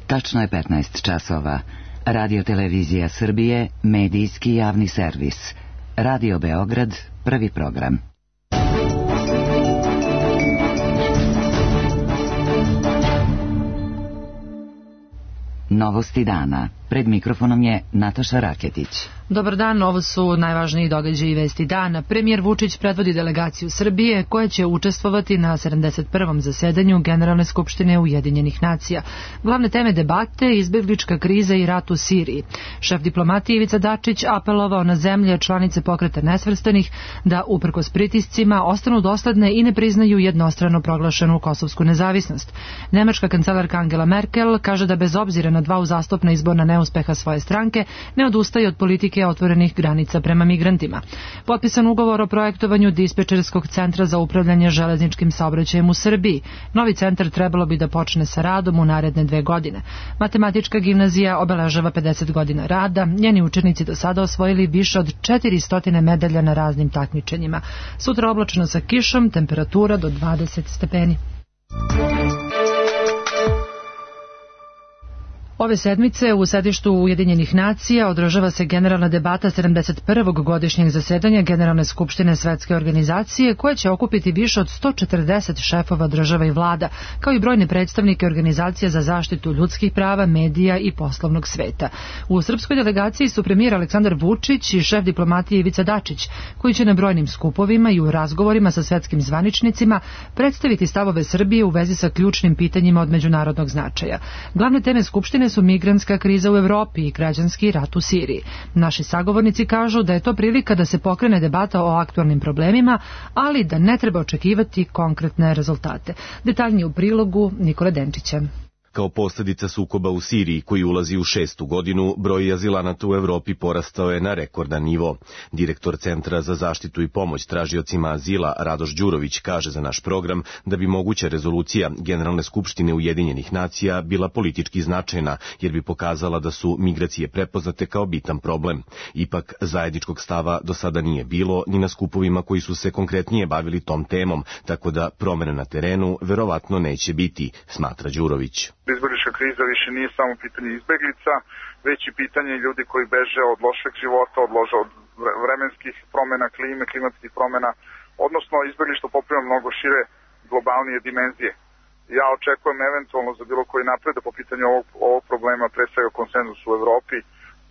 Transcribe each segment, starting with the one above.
Tačno je 15 časova. Radio Televizija Srbije, medijski javni servis. Radio Beograd, prvi program. Novosti dana. Pred mikrofonom je Nataša Raketić. Dobar dan, ovo su najvažniji događaji i vesti dana. Premijer Vučić predvodi delegaciju Srbije koja će učestvovati na 71. zasedanju Generalne skupštine Ujedinjenih nacija. Glavne teme debate, izbeglička kriza i rat u Siriji. Šef diplomatije Ivica Dačić apelovao na zemlje članice Pokreta nesvrstanih da uprkos pritiscima ostanu dosledne i ne priznaju jednostrano proglašenu kosovsku nezavisnost. Nemačka kancelarka Angela Merkel kaže da bez obzira na dva uzastopna izborna neuspeha svoje stranke ne odustaje od politike otvorenih granica prema migrantima. Potpisan ugovor o projektovanju dispečerskog centra za upravljanje železničkim saobraćajem u Srbiji. Novi centar trebalo bi da počne sa radom u naredne 2 godine. Matematička gimnazija obeležava 50 godina rada. Njeni učenici do sada osvojili više od 400 medalja na raznim takmičenjima. Sutra oblačno sa kišom, temperatura do 20 stepeni. Ove sedmice u sedištu Ujedinjenih nacija održava se generalna debata 71. godišnjeg zasedanja Generalne skupštine Svetske organizacije koja će okupiti više od 140 šefova država i vlada, kao i brojne predstavnike organizacija za zaštitu ljudskih prava, medija i poslovnog sveta. U srpskoj delegaciji su premijer Aleksandar Vučić i šef diplomatije Ivica Dačić, koji će na brojnim skupovima i u razgovorima sa svetskim zvaničnicima predstaviti stavove Srbije u vezi sa ključnim pitanjima od međunarodnog značaja. Glavne teme skupštine su migrantska kriza u Evropi i građanski rat u Siriji. Naši sagovornici kažu da je to prilika da se pokrene debata o aktualnim problemima, ali da ne treba očekivati konkretne rezultate. Detaljnije u prilogu Nikole Denčića. Kao posljedica sukoba u Siriji, koji ulazi u 6. godinu, broj azilanata u Evropi porastao je na rekordan nivo. Direktor Centra za zaštitu i pomoć tražiocima azila Radoš Đurović kaže za naš program da bi moguća rezolucija Generalne skupštine Ujedinjenih nacija bila politički značajna, jer bi pokazala da su migracije prepoznate kao bitan problem. Ipak, zajedničkog stava do sada nije bilo ni na skupovima koji su se konkretnije bavili tom temom, tako da promjene na terenu verovatno neće biti, smatra Đurović. Izbeglička kriza više nije samo pitanje izbeglica, već i pitanje ljudi koji beže od lošeg života, od vremenskih promjena, klime, klimatskih promjena, odnosno izbeglištvo poprima mnogo šire globalnije dimenzije. Ja očekujem eventualno za bilo koji napredak po pitanju ovog problema, pre svega konsenzus u Evropi.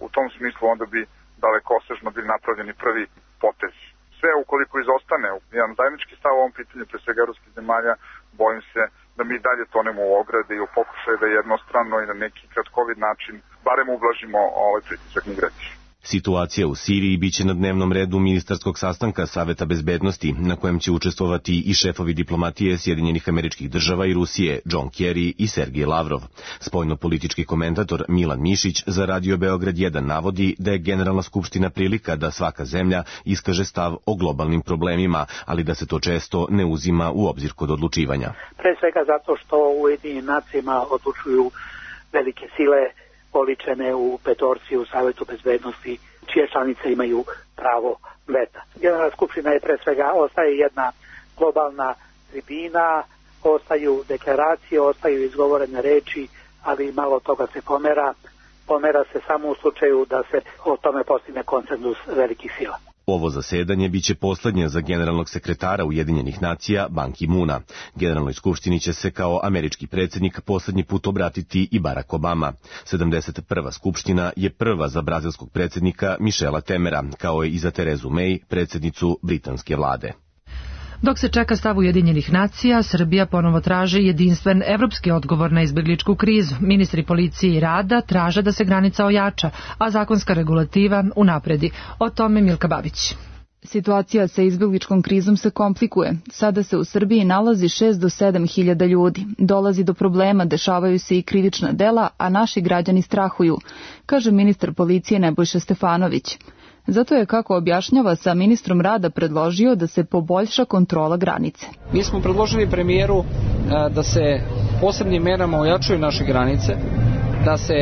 U tom smislu onda bi dalekosežno bili napravljeni prvi potez. Sve ukoliko izostane jedan zajednički stav o ovom pitanju, pre svega evropskih zemalja, bojim se da mi dalje tonemo u ograde i u pokušaju da jednostrano i na neki kratkovid način barem ublažimo ovaj pritisak migracije. Situacija u Siriji biće na dnevnom redu ministarskog sastanka Saveta bezbednosti, na kojem će učestvovati i šefovi diplomatije Sjedinjenih Američkih Država i Rusije, John Kerry i Sergej Lavrov. Spoljno-politički komentator Milan Mišić za Radio Beograd 1 navodi da je Generalna skupština prilika da svaka zemlja iskaže stav o globalnim problemima, ali da se to često ne uzima u obzir kod odlučivanja. Pre svega zato što u Ujedinjenim nacijama odlučuju velike sile oličene u petorci u Savetu bezbednosti, čije članice imaju pravo veta. Generalna skupština je pre svega ostaje jedna globalna tribina, ostaju deklaracije, ostaju izgovorene reči, ali malo toga se pomera se samo u slučaju da se o tome postigne konsenzus velikih sila. Ovo zasedanje biće poslednje za generalnog sekretara Ujedinjenih nacija Ban Ki-moona. Generalnoj skupštini će se kao američki predsjednik poslednji put obratiti i Barack Obama. 71. skupština je prva za brazilskog predsjednika Michela Temera, kao i za Terezu May, predsjednicu britanske vlade. Dok se čeka stav Ujedinjenih nacija, Srbija ponovo traži jedinstven evropski odgovor na izbegličku krizu. Ministri policije i rada traže da se granica ojača, a zakonska regulativa unapredi. O tome Milka Babić. Situacija sa izbegličkom krizom se komplikuje. Sada se u Srbiji nalazi 6 do 7 hiljada ljudi. Dolazi do problema, dešavaju se i krivična dela, a naši građani strahuju, kaže ministar policije Nebojša Stefanović. Zato je, kako objašnjava, sa ministrom rada predložio da se poboljša kontrola granice. Mi smo predložili premijeru da se posebnim merama ojačaju naše granice, da se,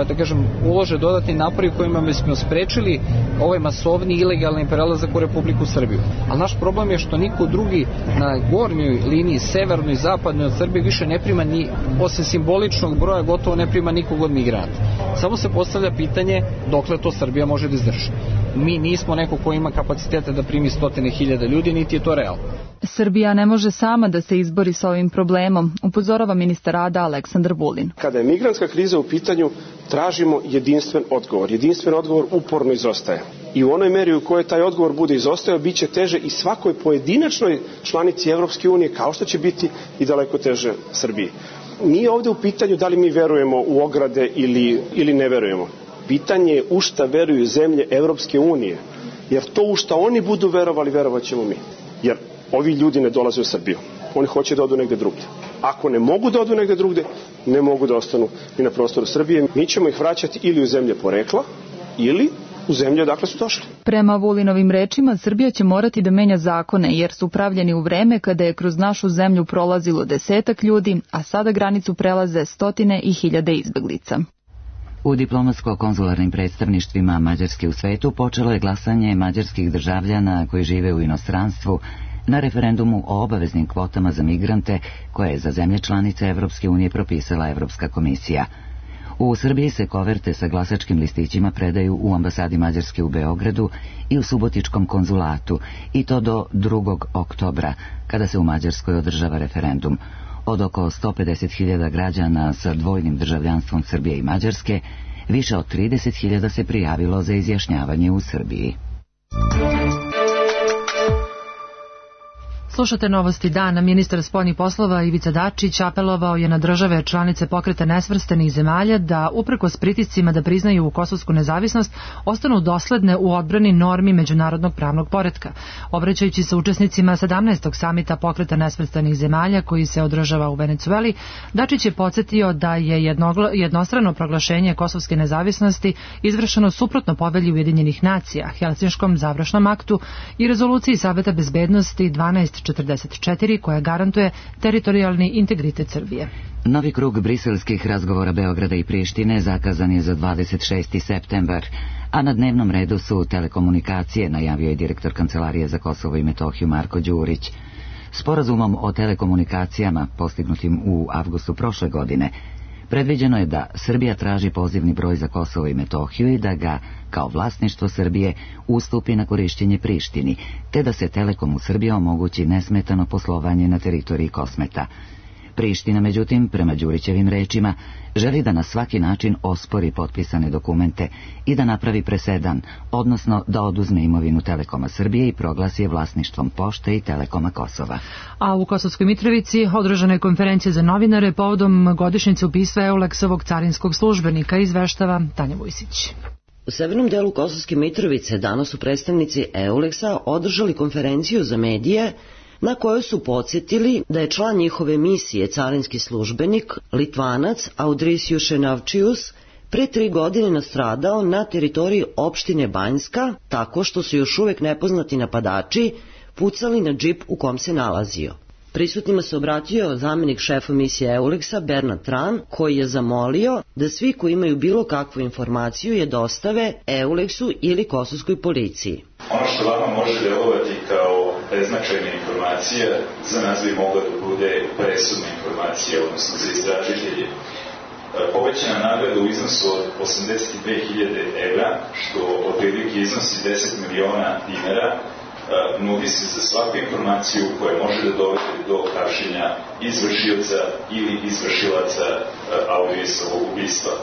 da kažem, ulože dodatni napori kojima bismo sprečili ovaj masovni ilegalni prelazak u Republiku Srbiju. Ali naš problem je što niko drugi na gornjoj liniji, severnoj i zapadnoj od Srbije više ne prima ni, osim simboličnog broja, gotovo ne prima nikog od migranata. Samo se postavlja pitanje dokle to Srbija može da izdrži. Mi nismo neko ko ima kapacitete da primi 100.000 ljudi, niti je to realno. Srbija ne može sama da se izbori sa ovim problemom, upozorava ministar rada Aleksandar Vulin. Kada je migrantska kriza u pitanju, tražimo jedinstven odgovor. Jedinstven odgovor uporno izostaje. I u onoj meri u kojoj taj odgovor bude izostajao, bit će teže i svakoj pojedinačnoj članici Evropske unije, kao što će biti i daleko teže Srbiji. Nije ovde u pitanju da li mi verujemo u ograde ili ne verujemo. Pitanje je u šta veruju zemlje Evropske unije. Jer to u šta oni budu verovali, verovat ćemo mi. Jer ovi ljudi ne dolaze u Srbiju. Oni hoće da odu negde drugde. Ako ne mogu da odu negde drugde, ne mogu da ostanu ni na prostoru Srbije. Mi ćemo ih vraćati ili u zemlje porekla, ili u zemlje odakle su došli. Prema Vulinovim rečima, Srbija će morati da menja zakone, jer su pravljeni u vreme kada je kroz našu zemlju prolazilo 10 ljudi, a sada granicu prelaze 100.000 izbeglica. U diplomatsko-konzularnim predstavništvima Mađarske u svetu počelo je glasanje mađarskih državljana koji žive u inostranstvu na referendumu o obaveznim kvotama za migrante koje je za zemlje članice Evropske unije propisala Evropska komisija. U Srbiji se koverte sa glasačkim listićima predaju u ambasadi Mađarske u Beogradu i u Subotičkom konzulatu, i to do 2. oktobra, kada se u Mađarskoj održava referendum. Od oko 150.000 građana sa dvojnim državljanstvom Srbije i Mađarske, više od 30.000 se prijavilo za izjašnjavanje u Srbiji. Slušate novosti dana. Ministar spoljnih poslova Ivica Dačić apelovao je na države članice Pokreta nesvrstanih zemalja da, uprkos pritiscima da priznaju kosovsku nezavisnost, ostanu dosledne u odbrani normi međunarodnog pravnog poretka. Obraćajući se učesnicima 17. samita Pokreta nesvrstanih zemalja koji se održava u Venecueli, Dačić je podsjetio da je jednostrano proglašenje kosovske nezavisnosti izvršeno suprotno povelji Ujedinjenih nacija, Helsinškom završnom aktu i rezoluciji Saveta bezbednosti 1244 koja garantuje teritorijalni integritet Srbije. Novi krug briselskih razgovora Beograda i Prištine zakazan je za 26. septembar, a na dnevnom redu su telekomunikacije, najavio je direktor Kancelarije za Kosovo i Metohiju Marko Đurić. Sporazumom o telekomunikacijama, postignutim u avgustu prošle godine, predviđeno je da Srbija traži pozivni broj za Kosovo i Metohiju i da ga, kao vlasništvo Srbije, ustupi na korišćenje Prištini, te da se Telekom u Srbiji omogući nesmetano poslovanje na teritoriji Kosmeta. Priština, međutim, prema Đurićevim rečima, želi da na svaki način ospori potpisane dokumente i da napravi presedan, odnosno da oduzme imovinu Telekoma Srbije i proglasi je vlasništvom Pošte i Telekoma Kosova. A u Kosovskoj Mitrovici održana je konferencija za novinare povodom godišnjice ubistva Euleksovog carinskog službenika, izveštava Tanja Vujsić. U severnom delu Kosovske Mitrovice danas su predstavnici Euleksa održali konferenciju za medije na kojoj su podsjetili da je član njihove misije carinski službenik, Litvanac Audris Jušenavčius, pre 3 godine nastradao na teritoriji opštine Banjska tako što su još uvek nepoznati napadači pucali na džip u kom se nalazio. Prisutnima se obratio zamenik šefa misije Euleksa Bernard Tran, koji je zamolio da svi koji imaju bilo kakvu informaciju je dostave Euleksu ili kosovskoj policiji. Ono što vama može delovati kao beznačajna informacija, za nas bi mogla da bude presudna informacija, odnosno za istražitelje. Povećana nagrada u iznosu od 82.000 evra, što otprilike iznosi 10 miliona dinara, nudi se za svaku informaciju koja može da dovede do hapšenja izvršioca ili izvršilaca Audrisovog ubistva.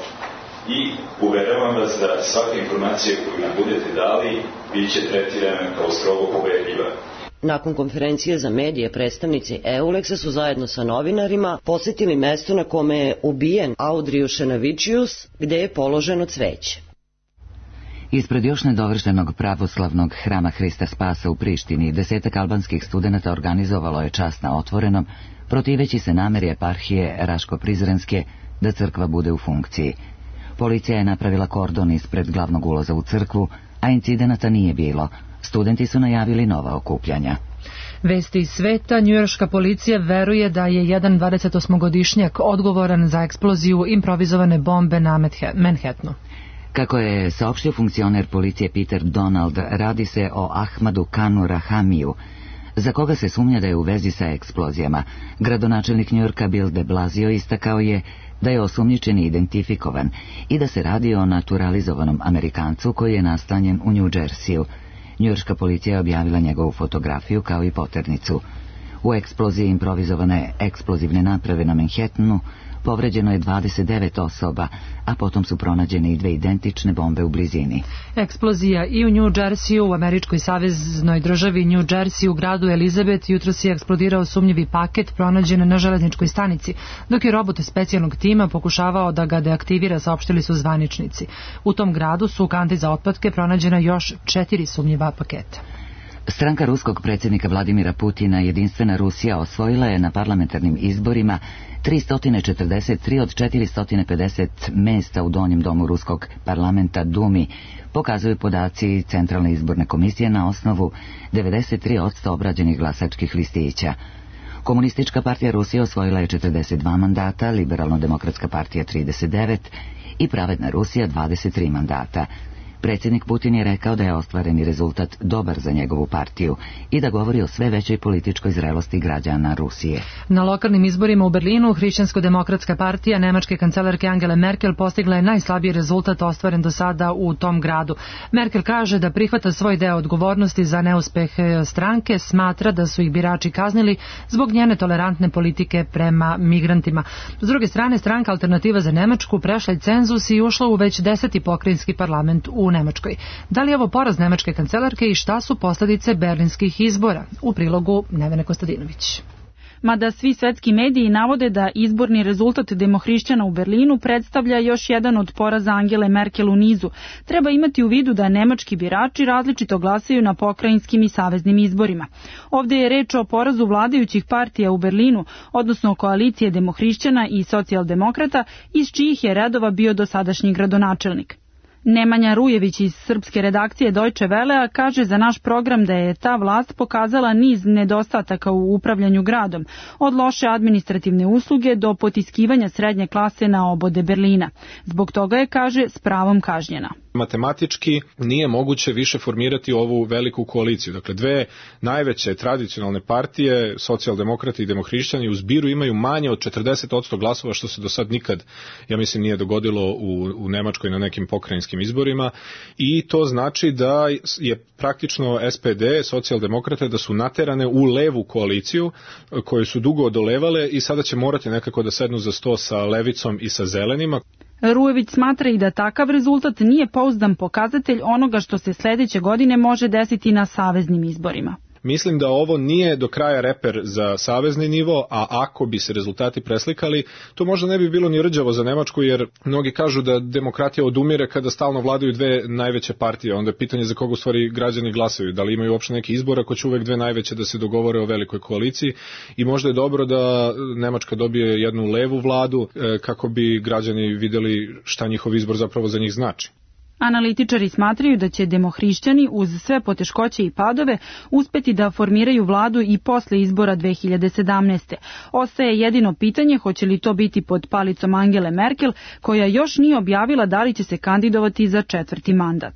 I uveravam vas da svaka informacija koju nam budete dali bit će tretirana kao strogo poverljiva. Nakon konferencije za medije, predstavnici Euleksa su zajedno sa novinarima posjetili mesto na kome je ubijen Audriju Šenavičius, gde je položeno cveće. Ispred još nedovršenog pravoslavnog hrama Hrista Spasa u Prištini 10 albanskih studenata organizovalo je čast na otvorenom, protiveći se nameri eparhije Raško-Prizrenske da crkva bude u funkciji. Policija je napravila kordon ispred glavnog ulaza u crkvu, a incidenata nije bilo. Studenti su najavili nova okupljanja. Vesti iz sveta, njujorška policija veruje da je jedan 28-godišnjak odgovoran za eksploziju improvizovane bombe na Manhattanu. Kako je saopštio funkcioner policije Peter Donald, radi se o Ahmadu Kanu Rahamiju, za koga se sumnja da je u vezi sa eksplozijama. Gradonačelnik Njujorka Bill de Blasio istakao je da je osumnjičeni identifikovan i da se radi o naturalizovanom Amerikancu koji je nastanjen u New Jersey-u. Njujorška policija je objavila njegovu fotografiju kao i poternicu. U eksploziji improvizovane eksplozivne naprave na Manhattanu povređeno je 29 osoba, a potom su pronađene i 2 identične bombe u blizini. Eksplozija i u New Jersey-u, u američkoj saveznoj državi New Jersey, u gradu Elizabeth, jutros je eksplodirao sumnjivi paket pronađen na železničkoj stanici, dok je robot specijalnog tima pokušavao da ga deaktivira, saopštili su zvaničnici. U tom gradu su u kanti za otpadke pronađena još 4 sumnjiva paketa. Stranka ruskog predsjednika Vladimira Putina, Jedinstvena Rusija, osvojila je na parlamentarnim izborima 343 od 450 mesta u donjem domu ruskog parlamenta Dumi, pokazuju podaci Centralne izborne komisije na osnovu 93% obrađenih glasačkih listića. Komunistička partija Rusije osvojila je 42 mandata, Liberalno-demokratska partija 39 i Pravedna Rusija 23 mandata. Predsjednik Putin je rekao da je ostvareni rezultat dobar za njegovu partiju i da govori o sve većoj političkoj zrelosti građana Rusije. Na lokalnim izborima u Berlinu Hrišćansko-demokratska partija nemačke kancelarke Angele Merkel postigla je najslabiji rezultat ostvaren do sada u tom gradu. Merkel kaže da prihvata svoj deo odgovornosti za neuspeh stranke, smatra da su ih birači kaznili zbog njene tolerantne politike prema migrantima. S druge strane, stranka Alternativa za Nemačku prešla je cenzus i ušla u već 10. pokrajinski parlament u Nemačkoj. Da li je ovo poraz nemačke kancelarke i šta su posljedice berlinskih izbora? U prilogu Nevene Kostadinović. Mada svi svetski mediji navode da izborni rezultat demohrišćana u Berlinu predstavlja još jedan od poraza Angele Merkel u nizu, treba imati u vidu da nemački birači različito glasaju na pokrajinskim i saveznim izborima. Ovdje je reč o porazu vladajućih partija u Berlinu, odnosno koalicije demohrišćana i socijaldemokrata, iz čijih je redova bio dosadašnji gradonačelnik. Nemanja Rujević iz srpske redakcije Deutsche Wellea kaže za naš program da je ta vlast pokazala niz nedostataka u upravljanju gradom, od loše administrativne usluge do potiskivanja srednje klase na obode Berlina. Zbog toga je, kaže, s pravom kažnjena. Matematički nije moguće više formirati ovu veliku koaliciju. Dakle, dve najveće tradicionalne partije, socijaldemokrati i demohrišćani, u zbiru imaju manje od 40% glasova, što se do sad nikad, ja mislim, nije dogodilo u Nemačkoj na nekim pokrajinskim izborima, i to znači da je praktično SPD, socijaldemokrate, da su naterane u levu koaliciju koju su dugo odolevale i sada će morati nekako da sednu za sto sa levicom i sa zelenima. Rujević smatra i da takav rezultat nije pouzdan pokazatelj onoga što se sljedeće godine može desiti na saveznim izborima. Mislim da ovo nije do kraja reper za savezni nivo, a ako bi se rezultati preslikali, to možda ne bi bilo ni rđavo za Nemačku, jer mnogi kažu da demokratija odumire kada stalno vladaju dve najveće partije. Onda je pitanje za koga u stvari građani glasaju. Da li imaju uopšte neki izbor ako će uvek dve najveće da se dogovore o velikoj koaliciji, i možda je dobro da Nemačka dobije jednu levu vladu kako bi građani vidjeli šta njihov izbor zapravo za njih znači. Analitičari smatraju da će demohrišćani uz sve poteškoće i padove uspeti da formiraju vladu i posle izbora 2017. Ostaje jedino pitanje hoće li to biti pod palicom Angele Merkel, koja još nije objavila da li će se kandidovati za 4. mandat.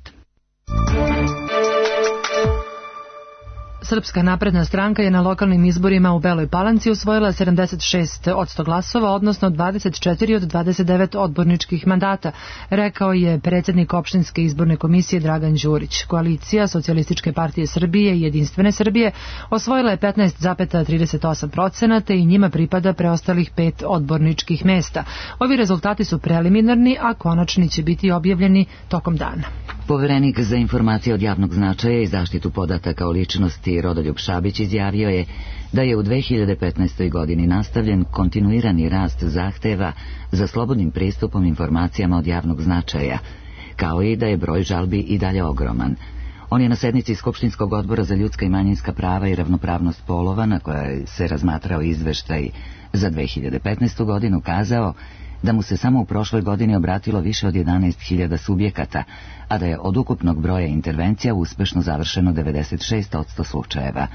Srpska napredna stranka je na lokalnim izborima u Beloj Palanci osvojila 76% glasova, odnosno 24 od 29 odborničkih mandata, rekao je predsjednik opštinske izborne komisije Dragan Đurić. Koalicija Socijalističke partije Srbije i Jedinstvene Srbije osvojila je 15,38% i njima pripada preostalih 5 odborničkih mesta. Ovi rezultati su preliminarni, a konačni će biti objavljeni tokom dana. Poverenik za informacije od javnog značaja i zaštitu podataka o ličnosti Rodoljub Šabić izjavio je da je u 2015. godini nastavljen kontinuirani rast zahteva za slobodnim pristupom informacijama od javnog značaja, kao i da je broj žalbi i dalje ogroman. On je na sednici Skupštinskog odbora za ljudska i manjinska prava i ravnopravnost polova, na kojoj se razmatrao izveštaj za 2015. godinu, kazao da mu se samo u prošloj godini obratilo više od 11.000 subjekata, a da je od ukupnog broja intervencija uspešno završeno 96% slučajeva.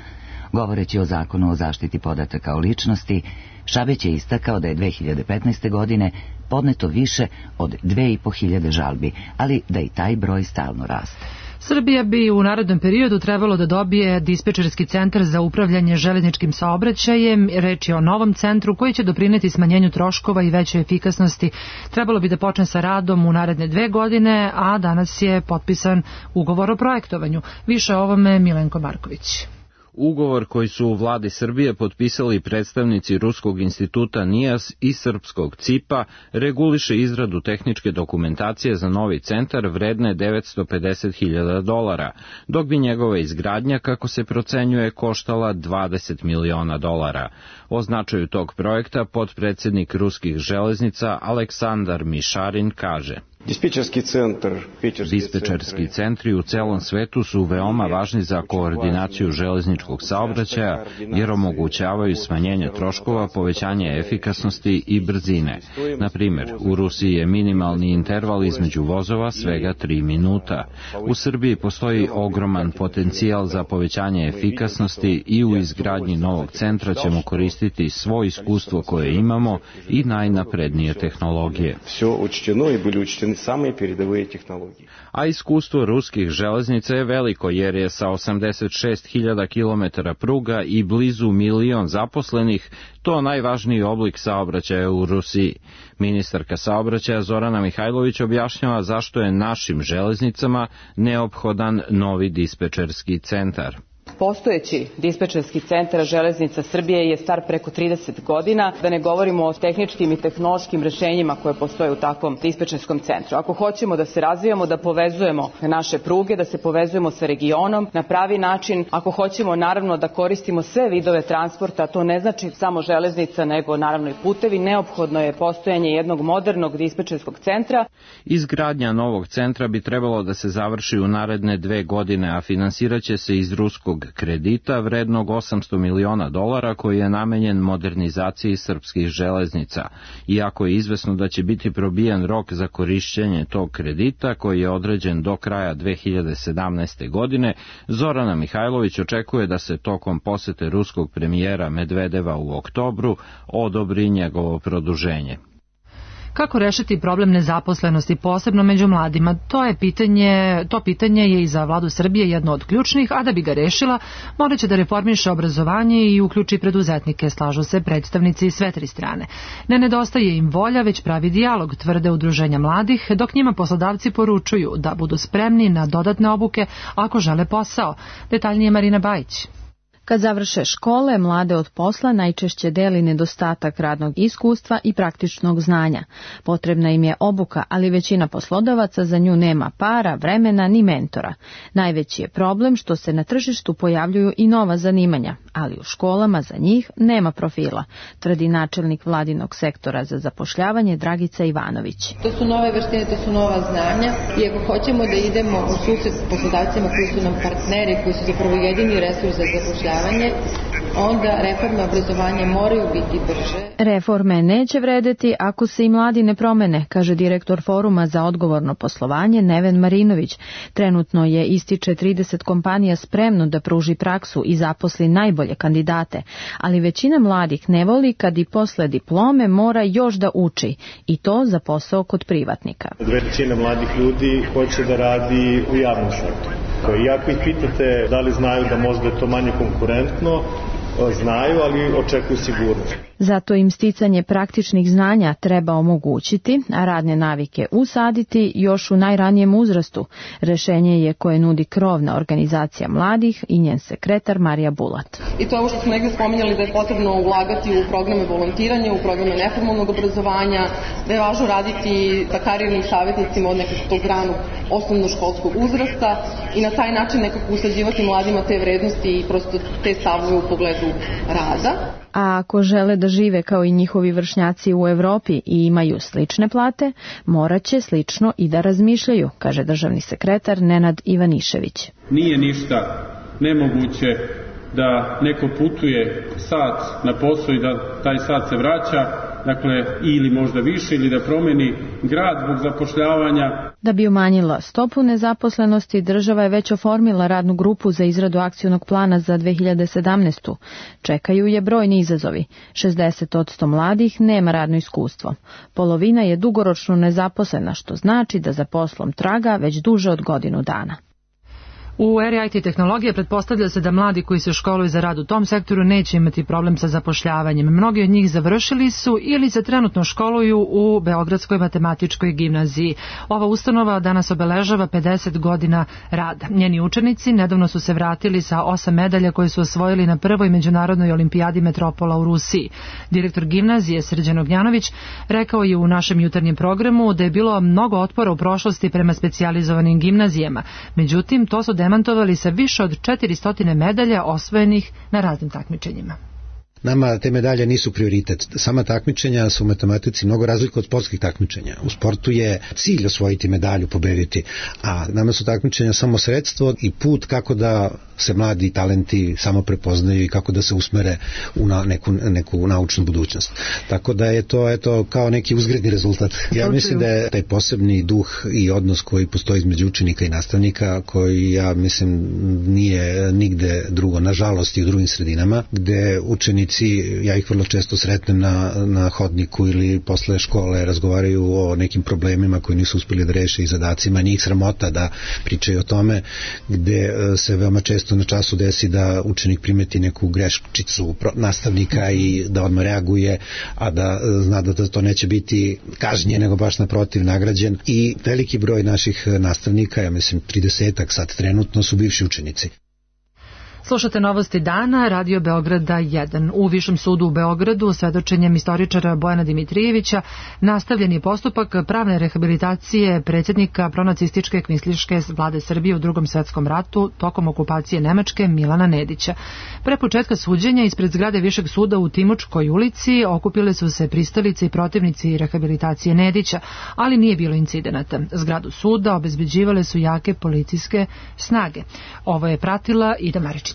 Govoreći o zakonu o zaštiti podataka o ličnosti, Šabeć je istakao da je 2015. godine podneto više od 2.500 žalbi, ali da i taj broj stalno raste. Srbija bi u narednom periodu trebalo da dobije dispečerski centar za upravljanje železničkim saobraćajem. Reč je o novom centru koji će doprineti smanjenju troškova i većoj efikasnosti. Trebalo bi da počne sa radom u naredne 2 godine, a danas je potpisan ugovor o projektovanju. Više o ovome Milenko Marković. Ugovor koji su u vladi Srbije potpisali predstavnici Ruskog instituta NIAS i srpskog CIP-a reguliše izradu tehničke dokumentacije za novi centar vredne $950.000, dok bi njegova izgradnja, kako se procenjuje, koštala $20 miliona. O značaju tog projekta potpredsednik ruskih železnica Aleksandar Mišarin kaže: Dispečerski centri u celom svetu su veoma važni za koordinaciju železničkog saobraćaja jer omogućavaju smanjenje troškova, povećanje efikasnosti i brzine. Na primjer, u Rusiji je minimalni interval između vozova svega 3 minuta. U Srbiji postoji ogroman potencijal za povećanje efikasnosti i u izgradnji novog centra ćemo koristiti svo iskustvo koje imamo i najnaprednije tehnologije. A iskustvo ruskih železnica je veliko jer je sa 86.000 km pruga i blizu 1 milion zaposlenih to najvažniji oblik saobraćaja u Rusiji. Ministarka saobraćaja Zorana Mihajlović objašnjava zašto je našim železnicama neophodan novi dispečerski centar. Postojeći dispečerski centar železnica Srbije je star preko 30 godina, da ne govorimo o tehničkim i tehnološkim rešenjima koje postoje u takvom dispečerskom centru. Ako hoćemo da se razvijamo, da povezujemo naše pruge, da se povezujemo sa regionom na pravi način, ako hoćemo naravno da koristimo sve vidove transporta, to ne znači samo železnica, nego naravno i putevi, neophodno je postojanje jednog modernog dispečerskog centra. Izgradnja novog centra bi trebalo da se završi u naredne 2 godine, a finansiraće se iz ruskog kredita vrednog $800 miliona koji je namenjen modernizaciji srpskih železnica. Iako je izvesno da će biti probijen rok za korišćenje tog kredita, koji je određen do kraja 2017. godine, Zorana Mihajlović očekuje da se tokom posete ruskog premijera Medvedeva u oktobru odobri njegovo produženje. Kako rešiti problem nezaposlenosti, posebno među mladima? To pitanje je i za vladu Srbije jedno od ključnih, a da bi ga rešila, morat će da reformiše obrazovanje i uključi preduzetnike, slažu se predstavnici sve 3 strane. Ne nedostaje im volja, već pravi dijalog, tvrde udruženja mladih, dok njima poslodavci poručuju da budu spremni na dodatne obuke ako žele posao. Detaljnije Marina Bajić. Kad završe škole, mlade od posla najčešće deli nedostatak radnog iskustva i praktičnog znanja. Potrebna im je obuka, ali većina poslodavaca za nju nema para, vremena ni mentora. Najveći je problem što se na tržištu pojavljuju i nova zanimanja, ali u školama za njih nema profila, tvrdi načelnik vladinog sektora za zapošljavanje Dragica Ivanović. To su nove veštine, to su nova znanja i ako hoćemo da idemo u susret s poslodavcima koji su nam partneri, koji su zapravo jedini resurs za zapošljavanje, onda reforme obrazovanja moraju biti brže. Reforme neće vredeti ako se i mladi ne promene, kaže direktor Foruma za odgovorno poslovanje Neven Marinović. Trenutno je, ističe, 30 kompanija spremno da pruži praksu i zaposli najbolje kandidate, ali većina mladih ne voli kad i posle diplome mora još da uči, i to za posao kod privatnika. Većina mladih ljudi hoće da radi u javnom sektoru. I ako ih pitate da li znaju da možda je to manje konkurentno, znaju, ali očekuju sigurnost. Zato im sticanje praktičnih znanja treba omogućiti, a radne navike usaditi još u najranijem uzrastu. Rešenje je koje nudi krovna organizacija mladih i njen sekretar Marija Bulat. I to je ovo što smo negdje spominjali, da je potrebno ulagati u programe volontiranja, u programe neformalnog obrazovanja, da je važno raditi sa karijernim savjetnicima od nekog tog ranog osnovnoškolskog uzrasta i na taj način nekako usađivati mladima te vrednosti i prosto te stavove u pogledu rada. A ako žele da žive kao i njihovi vršnjaci u Evropi i imaju slične plate, morat će slično i da razmišljaju, kaže državni sekretar Nenad Ivanišević. Nije ništa nemoguće da neko putuje sat na posao i da taj sat se vraća, dakle ili možda više, ili da promeni grad zbog zapošljavanja. Da bi umanjila stopu nezaposlenosti, država je već oformila radnu grupu za izradu akcionog plana za 2017. Čekaju je brojni izazovi. 60% mladih nema radno iskustvo. Polovina je dugoročno nezaposlena, što znači da za poslom traga već duže od godinu dana. U eri IT tehnologije pretpostavlja se da mladi koji se školuju za rad u tom sektoru neće imati problem sa zapošljavanjem. Mnogi od njih završili su ili se trenutno školuju u Beogradskoj matematičkoj gimnaziji. Ova ustanova danas obeležava 50 godina rada. Njeni učenici nedavno su se vratili sa 8 medalja koje su osvojili na prvoj međunarodnoj olimpijadi Metropola u Rusiji. Direktor gimnazije Srđan Ognjanović rekao je u našem jutarnjem programu da je bilo mnogo otpora u prošlosti prema specijalizovanim gimnazijama. Međutim, to su demantovali sa više od 400 medalja osvojenih na raznim takmičenjima. Nama te medalje nisu prioritet. Sama takmičenja su u matematici mnogo razlika od sportskih takmičenja. U sportu je cilj osvojiti medalju, pobediti, a nama su takmičenja samo sredstvo i put kako da se mladi talenti samo prepoznaju i kako da se usmere u neku naučnu budućnost. Tako da je to kao neki uzgredni rezultat. Ja mislim da je taj posebni duh i odnos koji postoji između učenika i nastavnika, koji ja mislim nije nigde drugo, nažalost i u drugim sredinama, gde učenici, ja ih vrlo često sretnem na hodniku ili posle škole, razgovaraju o nekim problemima koji nisu uspeli da reše i zadacima, njih sramota da pričaju o tome, gde se veoma često na času desi da učenik primeti neku greščicu nastavnika i da odmah reaguje, a da zna da to neće biti kažnjen, nego baš naprotiv nagrađen. I veliki broj naših nastavnika, ja mislim 30-ak sad trenutno, su bivši učenici. Slušate Novosti dana, Radio Beograda 1. U Višem sudu u Beogradu svedočenjem istoričara Bojana Dimitrijevića nastavljen je postupak pravne rehabilitacije predsjednika pronacističke kvislinške vlade Srbije u Drugom svetskom ratu tokom okupacije Nemačke Milana Nedića. Pre početka suđenja ispred zgrade Višeg suda u Timočkoj ulici okupile su se pristalice i protivnici rehabilitacije Nedića, ali nije bilo incidenata. Zgradu suda obezbeđivale su jake policijske snage. Ovo je pratila Ida Maričić.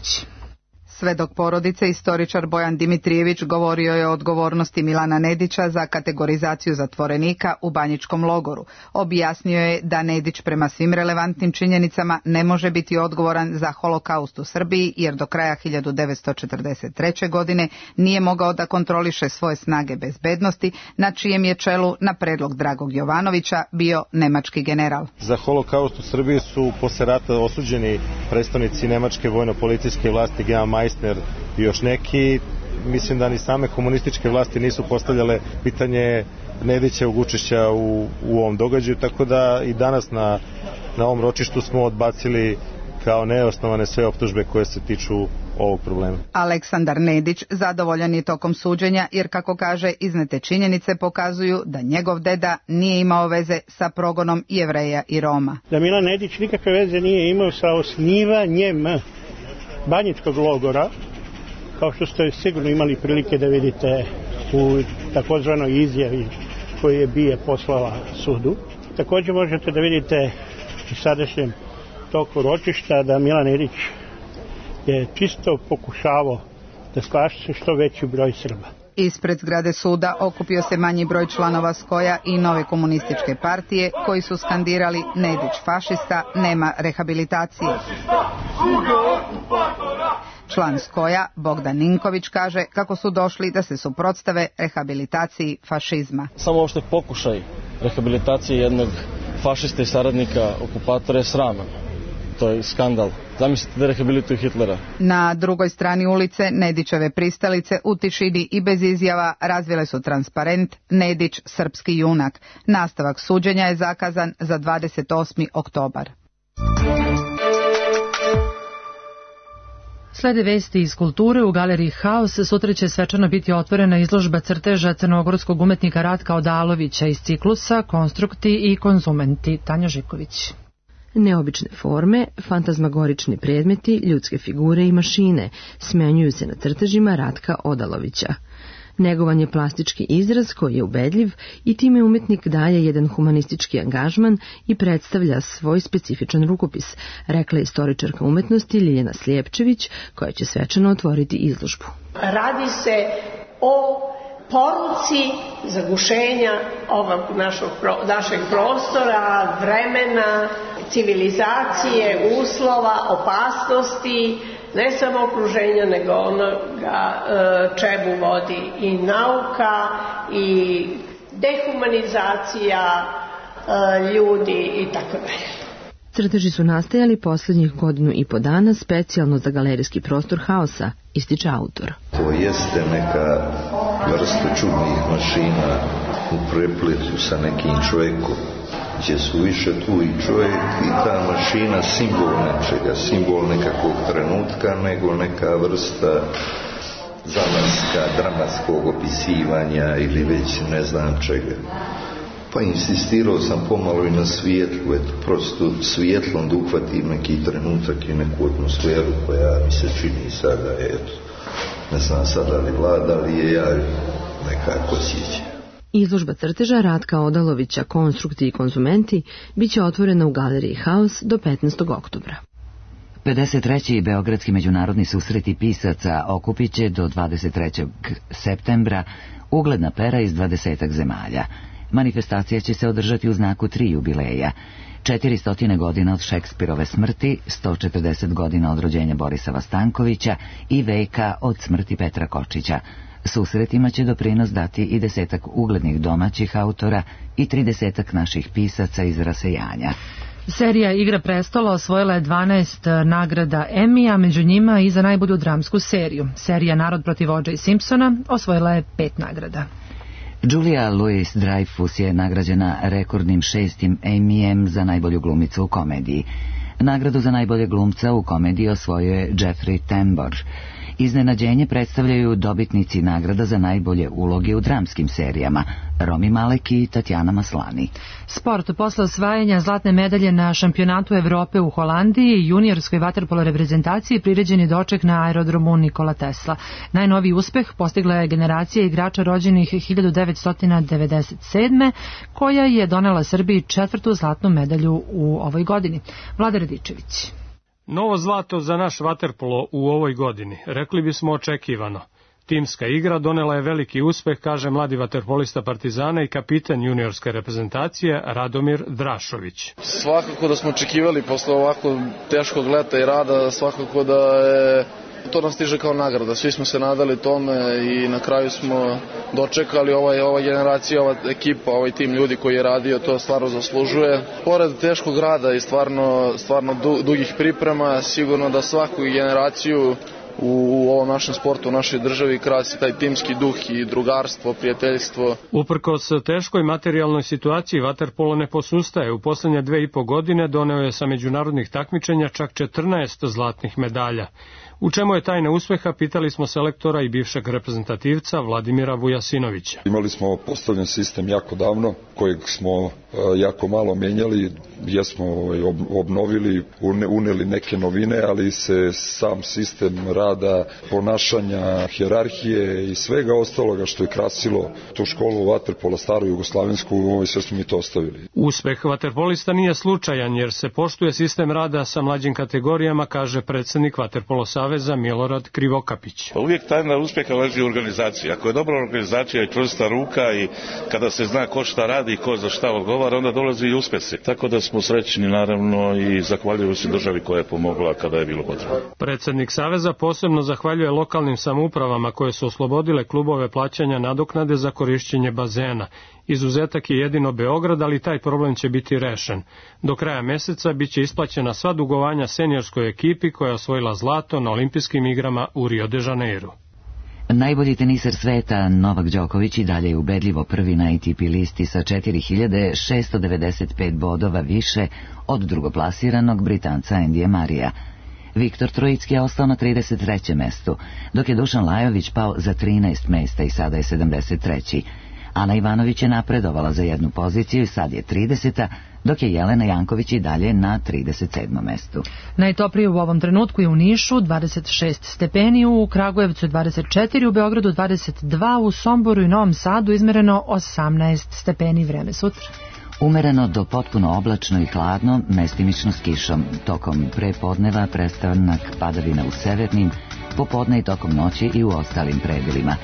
Svedok porodice, istoričar Bojan Dimitrijević, govorio je o odgovornosti Milana Nedića za kategorizaciju zatvorenika u Banjičkom logoru. Objasnio je da Nedić prema svim relevantnim činjenicama ne može biti odgovoran za holokaust u Srbiji, jer do kraja 1943. godine nije mogao da kontroliše svoje snage bezbednosti, na čijem je čelu na predlog Dragog Jovanovića bio nemački general. Za holokaust u Srbiji su posle rata osuđeni predstavnici nemačke vojno-policijske vlasti, Georg Meissner i još neki. Mislim da ni same komunističke vlasti nisu postavljale pitanje Nedićevog učešća u ovom događaju, tako da i danas na ovom ročištu smo odbacili kao neosnovane sve optužbe koje se tiču ovog problema. Aleksandar Nedić zadovoljan je tokom suđenja, jer kako kaže, iznete činjenice pokazuju da njegov deda nije imao veze sa progonom Jevreja i Roma. Da Milan Nedić nikakve veze nije imao sa osnivanjem Banjičkog logora, kao što ste sigurno imali prilike da vidite u takozvanoj izjavi koju je BIA poslala sudu. Također možete da vidite u sadašnjem toku ročišta da Milan Nedić je čisto pokušavao da spaše što veći broj Srba. Ispred zgrade suda okupio se manji broj članova Skoja i Nove komunističke partije, koji su skandirali Nedić fašista, nema rehabilitacije. Član Skoja, Bogdan Ninković, kaže kako su došli da se suprotstave rehabilitaciji fašizma. Samo uopšte pokušaj rehabilitacije jednog fašista i saradnika okupatora je sraman. To je skandal. Zamislite da rehabilituju Hitlera. Na drugoj strani ulice Nedićeve pristalice u tišini i bez izjava razvile su transparent Nedić srpski junak. Nastavak suđenja je zakazan za 28. oktobar. Slede vesti iz kulture. U galeriji Haos sutra će svečano biti otvorena izložba crteža crnogorskog umetnika Ratka Odalovića iz ciklusa Konstrukti i konzumenti. Tanja Živković. Neobične forme, fantazmagorični predmeti, ljudske figure i mašine smenjuju se na crtežima Ratka Odalovića. Negovan je plastički izraz koji je ubedljiv i time umetnik daje jedan humanistički angažman i predstavlja svoj specifičan rukopis, rekla je istoričarka umetnosti Ljiljana Slijepčević, koja će svečano otvoriti izložbu. Radi se o poruci zagušenja ovog našeg prostora, vremena, civilizacije, uslova, opasnosti, ne samo okruženja, nego onoga čemu vodi i nauka i dehumanizacija ljudi i tako dalje. Crteži su nastajali posljednjih 1.5 godina specijalno za galerijski prostor Haosa, ističe autor. To jeste neka vrsta čudnih mašina u prepletu sa nekim čovjekom, gdje su više tu i čovjek i ta mašina simbol nečega, simbol nekakvog trenutka, nego neka vrsta zamaska, dramatskog opisivanja ili već ne znam čega. Pa insistirao sam pomalo i na svijetlu, prosto svjetlom da uhvatim neki trenutak i neku atmosferu koja mi se čini sada, ne znam sada li vlada, ali je ja nekako sjećam. Izložba crteža Ratka Odalovića Konstrukti i konzumenti biće otvorena u galeriji Haos do 15. oktobra. 53. Beogradski međunarodni susreti pisaca okupit će do 23. septembra ugledna pera iz 20 zemalja. Manifestacija će se održati u znaku 3 jubileja. 400 godina od Šekspirove smrti, 140 godina od rođenja Borisava Stankovića i veka od smrti Petra Kočića. Susretima će doprinos dati i 10 uglednih domaćih autora i 30 naših pisaca iz rasejanja. Serija Igra prestola osvojila je 12 nagrada Emmy, a među njima i za najbolju dramsku seriju. Serija Narod protiv O.J. Simpsona osvojila je 5 nagrada. Julia Louis-Dreyfus je nagrađena rekordnim 6. Emmyjem za najbolju glumicu u komediji. Nagradu za najboljeg glumca u komediji osvojio je Jeffrey Tambor. Iznenađenje predstavljaju dobitnici nagrada za najbolje uloge u dramskim serijama, Rami Malek i Tatjana Maslani. Sport. Posle osvajanja zlatne medalje na šampionatu Evrope u Holandiji, juniorskoj vaterpolo reprezentaciji priređen je doček na aerodromu Nikola Tesla. Najnoviji uspeh postigla je generacija igrača rođenih 1997. koja je donela Srbiji 4. zlatnu medalju u ovoj godini. Vlada Radičević. Novo zlato za naš vaterpolo u ovoj godini, rekli bismo očekivano. Timska igra donela je veliki uspeh, kaže mladi vaterpolista Partizana i kapitan juniorske reprezentacije Radomir Drašović. Svakako da smo očekivali posle ovako teškog leta i rada, svakako da je to nam stiže kao nagrada. Svi smo se nadali tome i na kraju smo dočekali ova generacija, ova ekipa, ovaj tim ljudi koji je radio, to stvarno zaslužuje. Pored teškog rada i stvarno dugih priprema, sigurno da svaku generaciju u ovom našem sportu, u našoj državi krasi taj timski duh i drugarstvo, prijateljstvo. Uprkos teškoj materijalnoj situaciji, vaterpolo ne posustaje. U poslednje 2,5 godine doneo je sa međunarodnih takmičenja čak 14 zlatnih medalja. U čemu je tajna uspeha, pitali smo selektora i bivšeg reprezentativca Vladimira Vujasinovića. Imali smo postavljen sistem jako davno, kojeg smo jako malo menjali, jesmo obnovili, uneli neke novine, ali se sam sistem rada, ponašanja, hijerarhije i svega ostaloga što je krasilo tu školu vaterpola staru jugoslavensku, sve smo mi to ostavili. Uspeh vaterpolista nije slučajan jer se poštuje sistem rada sa mlađim kategorijama, kaže predsednik Vaterpolo Saveza Milorad Krivokapić. Uvijek tajna uspjeha leži u organizaciji. Ako je dobra organizacija i čvrsta ruka i kada se zna ko šta radi i ko za šta odgovara, onda dolazi i uspjesi. Tako da smo srećni naravno i zahvaljuju se državi koja je pomogla kada je bilo potrebno. Predsednik Saveza posebno zahvaljuje lokalnim samoupravama koje su oslobodile klubove plaćanja nadoknade za korišćenje bazena. Izuzetak je jedino Beograd, ali taj problem će biti rešen. Do kraja meseca biće isplaćena sva dugovanja seniorskoj ekipi koja je osvojila zlato na olimpijskim igrama u Rio de Janeiro. Najbolji teniser sveta Novak Đoković i dalje je ubedljivo prvi na ATP listi sa 4695 bodova više od drugoplasiranog Britanca Endija Marija. Viktor Trojicki je ostao na 33. mestu, dok je Dušan Lajović pao za 13 mesta i sada je 73. Ana Ivanović je napredovala za jednu poziciju i sad je 30. dok je Jelena Janković i dalje na 37. mestu. Najtoplije u ovom trenutku je u Nišu 26 stepeni, u Kragujevcu 24, u Beogradu 22, u Somboru i Novom Sadu izmereno 18 stepeni. Vreme sutra. Umereno do potpuno oblačno i hladno, mestimično s kišom. Tokom prepodneva prestanak padavina u severnim, popodne i tokom noći i u ostalim predelima.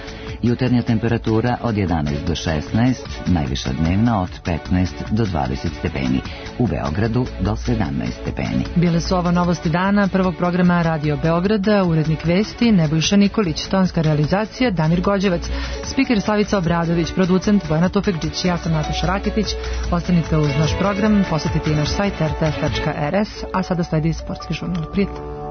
Jutarnja temperatura od 11 do 16, najviša dnevna od 15 do 20 stepeni. U Beogradu do 17 stepeni. Bile su ovo novosti dana prvog programa Radio Beograda, urednik vesti Nebojša Nikolić, tonska realizacija Damir Gođevac, spiker Slavica Obradović, producent Bojana Tofekđić, ja sam Nataša Rakitić. Ostanite uz naš program, posetite i naš sajt rtf.rs, a sada sledi sportski žurnal. Prijatno.